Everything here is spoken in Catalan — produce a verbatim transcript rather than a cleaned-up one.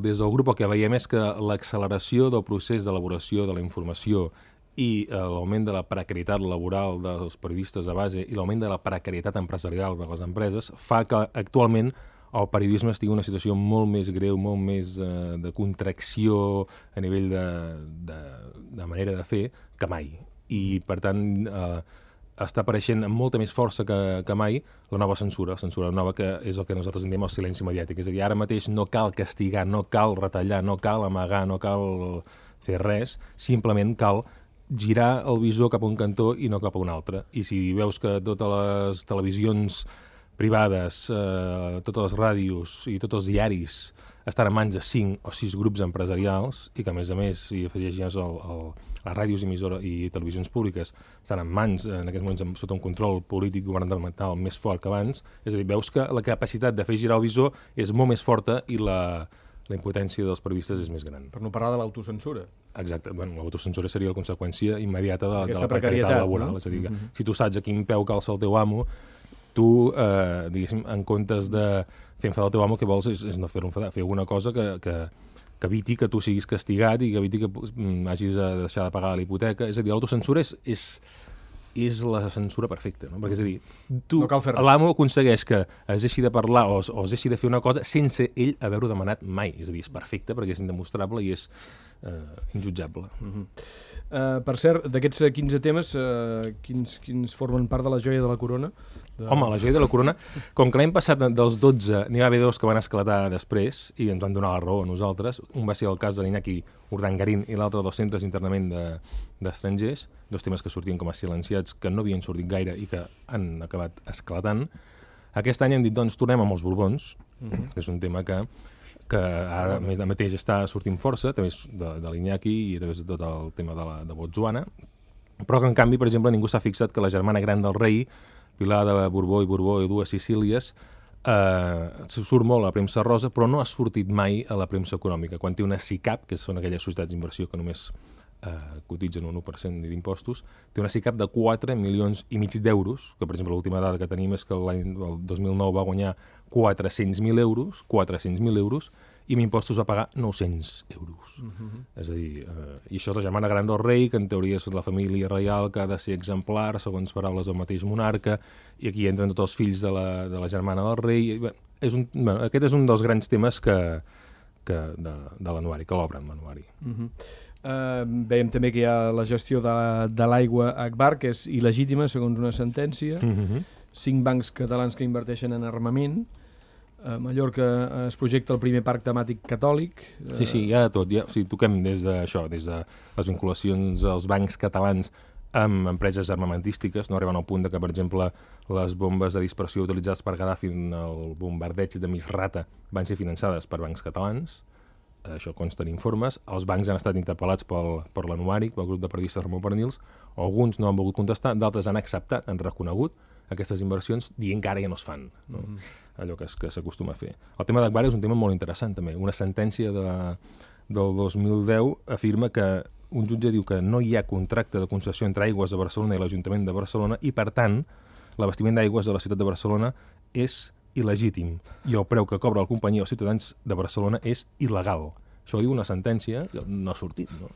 Des del grup el que veiem és que l'acceleració del procés d'elaboració de la informació i eh, l'augment de la precarietat laboral dels periodistes de base i l'augment de la precarietat empresarial de les empreses fa que actualment el periodisme estigui en una situació molt més greu, molt més eh, de contracció a nivell de, de, de manera de fer que mai. I, per tant, eh, està apareixent amb molta més força que, que mai la nova censura, la censura nova que és el que nosaltres en diem el silenci mediàtic. És a dir, ara mateix no cal castigar, no cal retallar, no cal amagar, no cal fer res, simplement cal girar el visor cap a un cantó i no cap a un altre. I si veus que totes les televisions privades, eh, totes les ràdios i tots els diaris estan en mans de cinc o sis grups empresarials i que, a més a més, si afegeixes el, el, les ràdios emissora i televisions públiques estan en mans, en aquests moments, sota un control polític governamental més fort que abans, és a dir, veus que la capacitat de fer girar el visor és molt més forta i la, la impotència dels periodistes és més gran. Per no parlar de l'autocensura. Exacte. Bueno, l'autocensura seria la conseqüència immediata de, de la precarietat, precarietat laboral. No? És a dir, Mm-hmm. si tu saps a quin peu calça el teu amo, tu, eh, diguéssim, en comptes de fer enfadar el teu amo, el que vols és, és no fer-lo enfadar, fer alguna cosa que, que, que eviti que tu siguis castigat i que eviti que mm, hagis de deixar de pagar la hipoteca. És a dir, l'autocensura és, és, és la censura perfecta, no? Perquè, és a dir, tu, No cal fer res. l'amo aconsegueix que es deixi de parlar o, o es deixi de fer una cosa sense ell haver-ho demanat mai. És a dir, és perfecte perquè és indemostrable i és eh, injutjable. Uh-huh. Uh, per cert, d'aquests quinze temes, uh, quins, quins formen part de la joia de la corona? De... Home, la joia de la corona, com que l'any passat dels dotze n'hi va haver dos que van esclatar després i ens van donar la raó a nosaltres, un va ser el cas de l'Iñaki Urdangarín i l'altre dels centres d'internament d'estrangers, de, dos temes que sortien com a silenciats, que no havien sortit gaire i que han acabat esclatant. Aquest any hem dit, doncs, tornem amb els Borbons, uh-huh. que és un tema que que ara uh-huh. mateix està sortint força, a través de, de l'Iñaki i a través de tot el tema de, la, de Botswana, però que, en canvi, per exemple, ningú s'ha fixat que la germana gran del rei, Pilar de Borbó i Borbó i dues Sicílies, eh, surt molt a la premsa rosa, però no ha sortit mai a la premsa econòmica. Quan té una SICAP, que són aquelles societats d'inversió que només eh, cotitzen un u per cent d'impostos, té una SICAP de quatre milions i mig d'euros, que, per exemple, l'última dada que tenim és que l'any el dos mil nou va guanyar quatre-cents mil euros, quatre-cents mil euros, i amb impostos va pagar nou-cents euros. Uh-huh. És a dir, eh, i això és la germana gran del rei, que en teoria és la família reial, que ha de ser exemplar, segons paraules del mateix monarca, i aquí entren tots els fills de la, de la germana del rei. I, bé, és un, bé, aquest és un dels grans temes que, que de, de l'anuari, que l'obren l'anuari. Uh-huh. Uh, veiem també que hi ha la gestió de, de l'aigua a Agbar, que és il·legítima, segons una sentència. Uh-huh. Cinc bancs catalans que inverteixen en armament. A Mallorca es projecta el primer parc temàtic catòlic. Sí, sí, hi ha de tot. Ja, o sigui, toquem des d'això, des de les vinculacions als bancs catalans amb empreses armamentístiques, no arriben al punt de que, per exemple, les bombes de dispersió utilitzades per Gaddafi en el bombardeig de Misrata van ser finançades per bancs catalans. Això consta en informes. Els bancs han estat interpel·lats pel, per l'anuari, pel grup de periodistes Ramon Pernils. Alguns no han volgut contestar, d'altres han acceptat, han reconegut aquestes inversions, dient que ara ja no es fan, no? Mm-hmm. Allò que, es, que s'acostuma a fer. El tema d'Agbar és un tema molt interessant, també. Una sentència de, del dos mil deu afirma que un jutge diu que no hi ha contracte de concessió entre Aigües de Barcelona i l'Ajuntament de Barcelona i, per tant, l'abastiment d'aigües de la ciutat de Barcelona és il·legítim i el preu que cobra la companyia als ciutadans de Barcelona és il·legal. Això ho diu una sentència que no ha sortit, no?